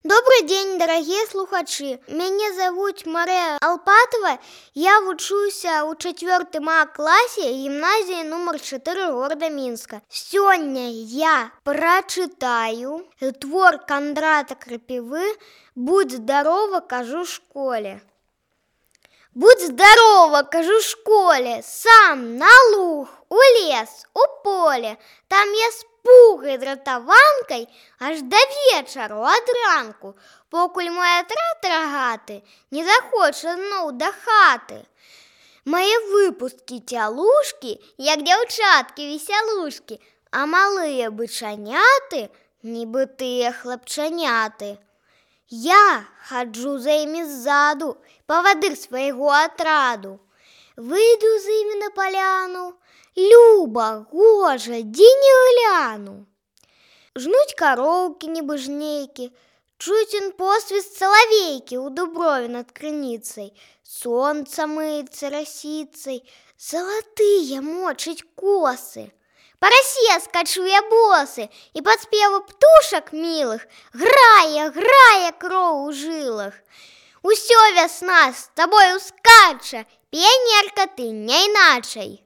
Добрый день, дорогие слухачи. Меня зовут Мария Алпатова. Я вучуся у 4 классе гимназии номер 4 города Минска. Сегодня я прочитаю твор Кондрата Крапивы «Будь здорова, кажу школе». Будь здорова, кажу школе, сам на луг, у лес, у поле. Там я з пугай дратаванкай аж до вечару ад ранку, покуль мой атрад рагаты не захоча зноў да хаты. Мае выпусткі цялушкі, як дзяўчаткі-весялушкі, а малыя бычаняты, нібы тыя хлапчаняты. Я хаджу за імі ззаду, павадыр свайго атраду. Выйду з імі на паляну, люба, гожа, дзе не гляну. Жнуць кароўкі, нібы жнейкі, чуць посвіст салавейкі ў дуброве над крыніцай. Сонца мыецца расіцай, залатыя мочыць косы. Па расе скачу я босы, і пад спевы птушак мілых грае кроў у жылах. Усё вясна з табою скача, піянерка ты не іначай.